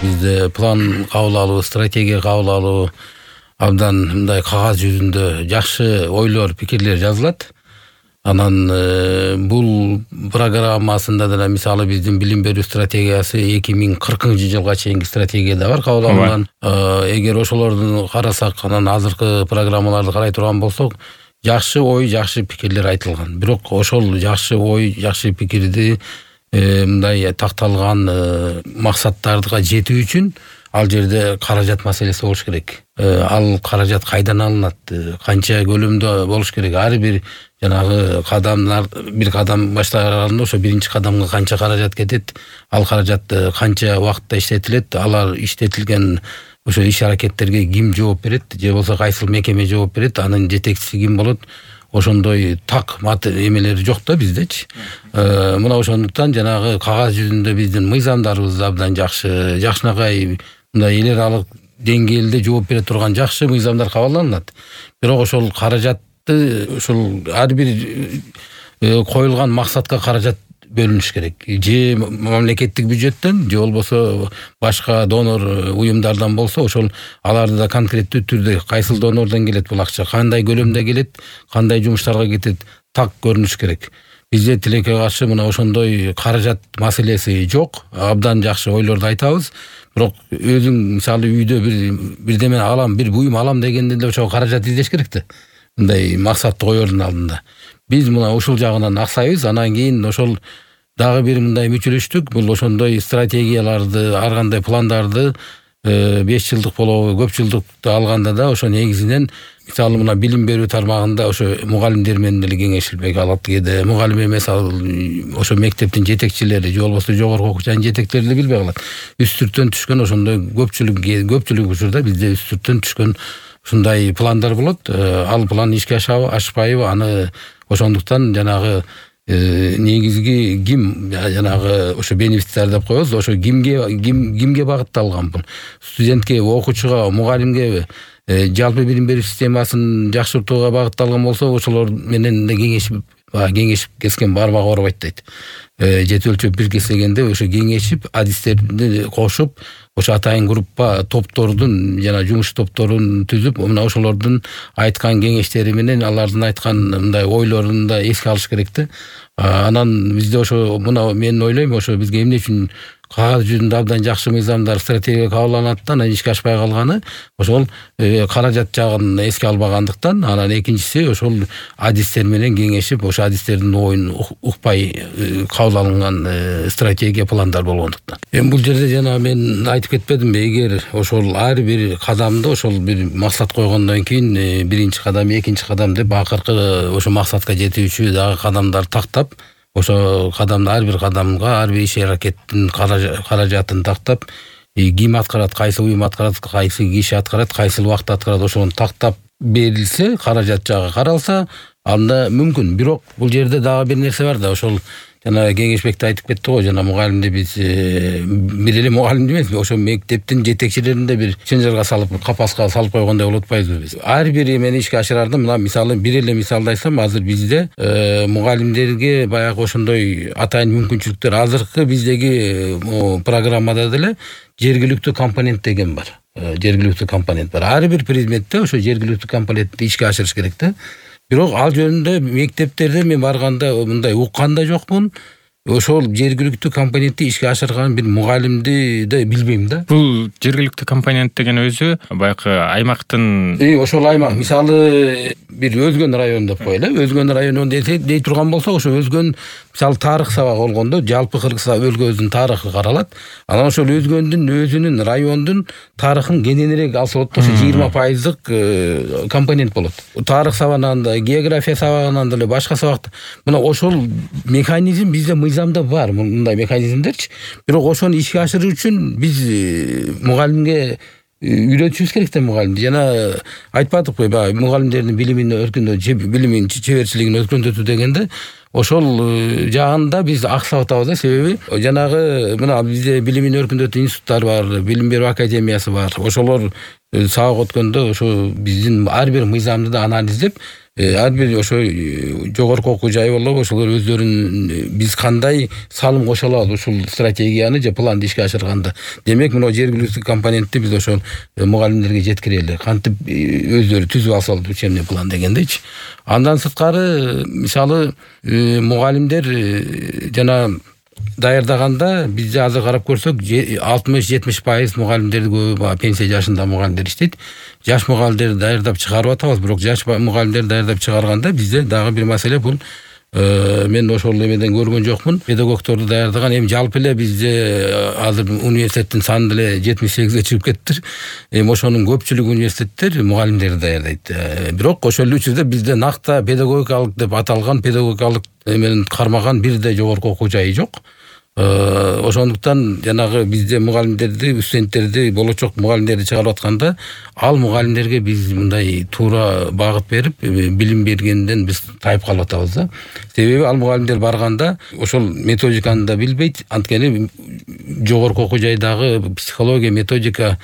Бизде план кабыл алуу, стратегия кабыл алуу абдан мындай кагаз жүзүндө жакшы ойлор, пикирлер жазылат. Анан бул программасында да мисалы биздин билим берүү стратегиясы 2040-жылга чейинки стратегияда бар кабыл алынган. Эгер ошолорду карасак, анан азыркы программаларды карай турган болсок, жакшы ой, жакшы пикирлер айтылган. Бирок ошол жакшы ой, жакшы пикирди мындай такталган максаттарга жетүү үчүн ал жерде каражат маселеси болуш керек. Ал каражат кайдан алынат, канча көлөмдө болуш керек? Ар бир жанагы кадамдар, бир кадам баштаганда ошо биринчи кадамга канча каражат кетет, ал каражат канча убакытта иштетилет, алар иштетилген ошо иш-аракеттерге ким жооп берет, же болбосо кайсыл мекеме жооп берет, анын жетекчиси ким болот? Ошондой так эмелери жок да биздечи. Мына ошондуктан жанагы кагаз жүзүндө биздин мыйзамдарыбыз абдан жакшы, жакшынакай мындай эл аралык деңгээлде жооп бере турган жакшы мыйзамдар кабыл алынат. Бирок ошол каражатты ошол ар бир коюлган максатка каражат бөлүнүш керек. Же мамлекеттик бюджеттен, же болбосо башка донор уюмдардан болсо, ошол аларды да конкреттүү түрдө кайсыл донордон келет бул акча, кандай көлөмдө келет, кандай жумуштарга кетет, так көрүнүш керек. Бизде тилекке каршы мына ошондой каражат маселеси жок. Абдан жакшы ойлорду айтабыз. Бирок өзүң мисалы үйдө бирдеме алам, бир буюм алам дегенде эле ошо каражат издеш керек да. Мындай максатты коердун алдында. Биз мына ушул жагынан аксайбыз. Анан кийин ошол дагы бир мындай мүчөлөштүк. Бул ошондой стратегияларды, ар кандай пландарды 5 жылдык болобу, көп жылдыкты алганда да ошо негизинен мисалы мына билим берүү тармагында ошо мугалимдер менен деле кеңешилбек алат. Кээде мугалим эмес, ошо мектептин жетекчилери, же болбосо жогорку окуу жайдын жетекчилери деле билбей калат. Үстүртөн түшкөн ошондой көпчүлүк учурда бизде үстүртөн түшкөн ушундай пландар болот. Ал план ишке ашпайбы, аны ошондуктан жанагы негизги ким жанагы ошо бенефициар деп коебуз, ошо кимге багытталган бул? Студентке, окуучуга, мугалимгеби? Жалпы билим берүү системасын жакшыртууга багытталган болсо, ошолор менен да кеңешип кескен бармак оорубайт дейт. Жети өлчөп бир кесегенде ошо кеңешип, адистерди кошуп, ошо атайын группа топтордун жана жумуш топторун түзүп, мына ошолордун айткан кеңештери менен алардын айткан мындай ойлорун да эске алыш керек да. Анан бизде ошо мына мен ойлойм, ошо бизге эмне үчүн кагаз жүзүндө абдан жакшы мыйзамдар, стратегия кабыл алынат да, анан ишке ашпай калганы ошол каражат жагын эске албагандыктан. Анан экинчиси ошол адистер менен кеңешип, ошо адистердин оюн укпай кабыл алынган стратегия, пландар болгондуктан. Эми бул жерде жана мен айтып кетпедимби, эгер ошол ар бир кадамды ошол бир максат койгондон кийин биринчи кадам, экинчи кадам деп акыркы ошо максатка жетүүчү дагы кадамдар тактап, ошо кадамды ар бир кадамга, ар бир иш-аракеттин каражатын тактап, ким аткарат, кайсы уюм аткарат, кайсы киши аткарат, кайсыл убакытта аткарат, ошону тактап берилсе, каражат жагы каралса, анда мүмкүн. Бирок бул жерде дагы бир нерсе бар да, ошол жана кеңешбекте айтып кетти го, жана мугалимди биз бир эле мугалимди эмес, ошо мектептин жетекчилерин да бир чынжырга салып, капаска салып койгондой болуп атпайбызбы биз? Ар бир эмени ишке ашырарда, мына мисалы бир эле мисалды айтсам, азыр бизде мугалимдерге баягы ошондой атайын мүмкүнчүлүктөр азыркы биздеги программада деле жергиликтүү компонент деген бар. Жергиликтүү компонент бар. Ар бир предметте ошо жергиликтүү компонентти ишке ашырыш керек да. Бирок ал жөнүндө мектептерде мен барганда мындай уккан да жокмун. Ошол жергиликтүү компонентти ишке ашырган бир мугалимди да билбейм да. Бул жергиликтүү компонент деген өзү баягы аймактын ошол аймак, мисалы бир Өзгөн району деп коелу. Өзгөн району дей турган болсок, ошо Өзгөн мисалы тарых сабагы болгондо жалпы Кыргыз өлкөбүздүн тарыхы каралат. Анан ошол Өзгөндүн өзүнүн райондун тарыхын кененирээк алса болот, ошо 20% компонент болот. Тарых сабагынан да, география сабагынан деле, башка сабакта. Мына ошол механизм бизде мыйзамда бар, мындай механизмдерчи. Бирок ошону ишке ашыруу үчүн биз мугалимге үйрөтүшүбүз керек да, мугалимди. Жана айтпадыкпы, баягы мугалимдердин билимин өркүндөтүү, билимин чеберчилигин өркүндөтүү дегенде, ошол жагында биз аксап атабыз да. Себеби жанагы мына бизде билимин өркүндөтүү институттары бар, билим берүү академиясы бар. Ошолор сабак өткөндө ошо биздин ар бир мыйзамды да анализдеп, ар бир ошо жогорку окуу жай болобу ошолор өздөрүн биз кандай салым кошо алалы ушул стратегияны же планды ишке ашырганда. Демек мына жергиликтүү компонентти биз ошол мугалимдерге жеткирели. Кантип өздөрү түзүп алсалар учебный план дегендейчи. Андан сырткары мисалы мугалимдер жана даярдаганда бизде азыр карап көрсөк 60-70% мугалимдерди көбү пенсия жашында мугалимдер иштейт. Жаш мугалимдерди даярдап чыгарып атабыз, бирок жаш мугалимдерди даярдап чыгарганда бизде дагы бир маселе бул. Мен ошол эмеден көргөн жокмун. Педагогторду даярдаган эми жалпы эле бизде азыр университеттин саны деле 78ге чыгып кеттир. Ошонун көпчүлүгү университеттер мугалимдерди даярдайт. Бирок ошол учурда бизде накта педагогикалык деп аталган педагогикалык менен кармаган бирдей жогорку окуу жайы жок. Ошондуктан жанагы бизде мугалимдерди, студенттерди, болочок мугалимдерди чыгарып атканда ал мугалимдерге биз мындай туура багыт берип, билим бергенден биз тайып калып атабыз да. Себеби ал мугалимдер барганда ошол методиканы да билбейт. Анткени жогорку окуу жайдагы психология, методика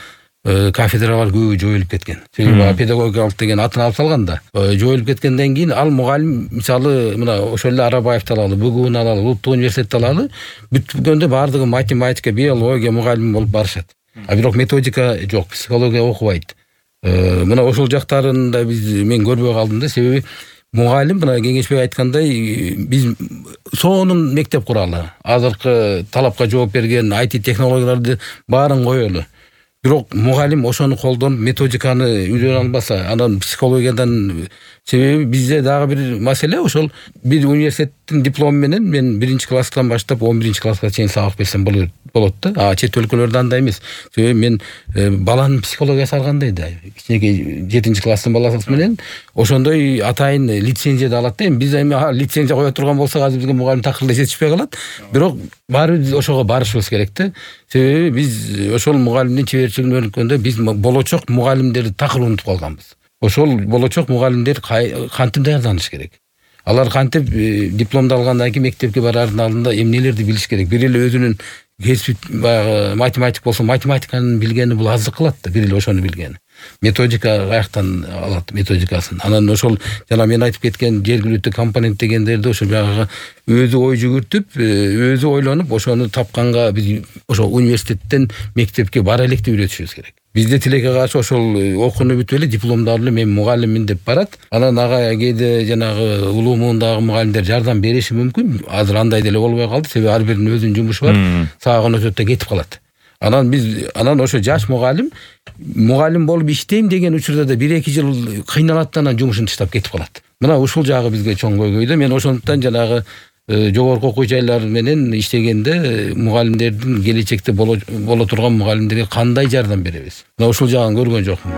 кафедралар көбү жоюлуп кеткен. Себеби педагогикалык деген атын алып салганда жоюлуп кеткенден кийин ал мугалим мисалы мына ошол эле Арабаевди алалы, БГУны алалы, Улуттук университетти алалы, бүткөндө баардыгы математика, биология мугалими болуп барышат. Бирок методика жок, психология окубайт. Мына ошол жактарында мен көрбөй калдым да, себеби мугалим мына Кеңешбек айткандай биз сонун мектеп куралы. Азыркы талапка жооп берген IT технологияларды баарын коелу. Бирок мугалим ошону колдонуп методиканы үйрөнө албаса, анан психологиядан себеби бизде дагы бир маселе ошол бир университеттин диплому менен мен 1-класстан баштап 11-класска чейин сабак берсем болот да. Чет өлкөлөрдө андай эмес. Себеби мен баланын психологиясы ар кандай да. Кичинекей 7-класстын баласы менен ошондой атайын лицензия да алат да. Биз эми лицензия кое турган болсок азыр бизге мугалим такыр жетишпей калат. Бирок баары ошого барышыбыз керек да. Себеби биз ошол мугалимдин чеберчилигин өнүккөндө биз болочок мугалимдерди такыр унутуп калганбыз. Ошол болочок мугалимдер кантип даярданыш керек? Алар кантип дипломду алгандан кийин мектепке барардын алдында эмнелерди билиш керек? Бир эле өзүнүн кесип баягы математик болсо математиканы билгени бул аздык кылат да, бир эле ошону билгени. Методика каяктан алат методикасын. Анан ошол жана мен айтып кеткен жергиликтүү компонент дегендерди ошо баягы өзү ой жүгүртүп, өзү ойлонуп, ошону тапканга биз ошо университеттен мектепке бара электи үйрөтүшүбүз керек. Бизде тилекке каршы ошол окууну бүтүп эле дипломду алып эле мен мугалиммин деп барат. Анан ага кээде жанагы улуу муундагы мугалимдер жардам бериши мүмкүн. Азыр андай деле болбой калды, себеби ар биринин өзүнүн жумушу бар. Саагын өтөт да кетип калат. Анан ошо жаш мугалим болуп иштейм деген учурда да 1-2 жыл кыйналат да анан жумушун таштап кетип калат. Мына ушул жагы бизге чоң көйгөйдө. Мен ошондуктан жанагы жогорку окуу жайлар менен иштегенде мугалимдердин келечекте боло турган мугалимдерге кандай жардам беребиз? Мына ушул жагын көргөн жокмун.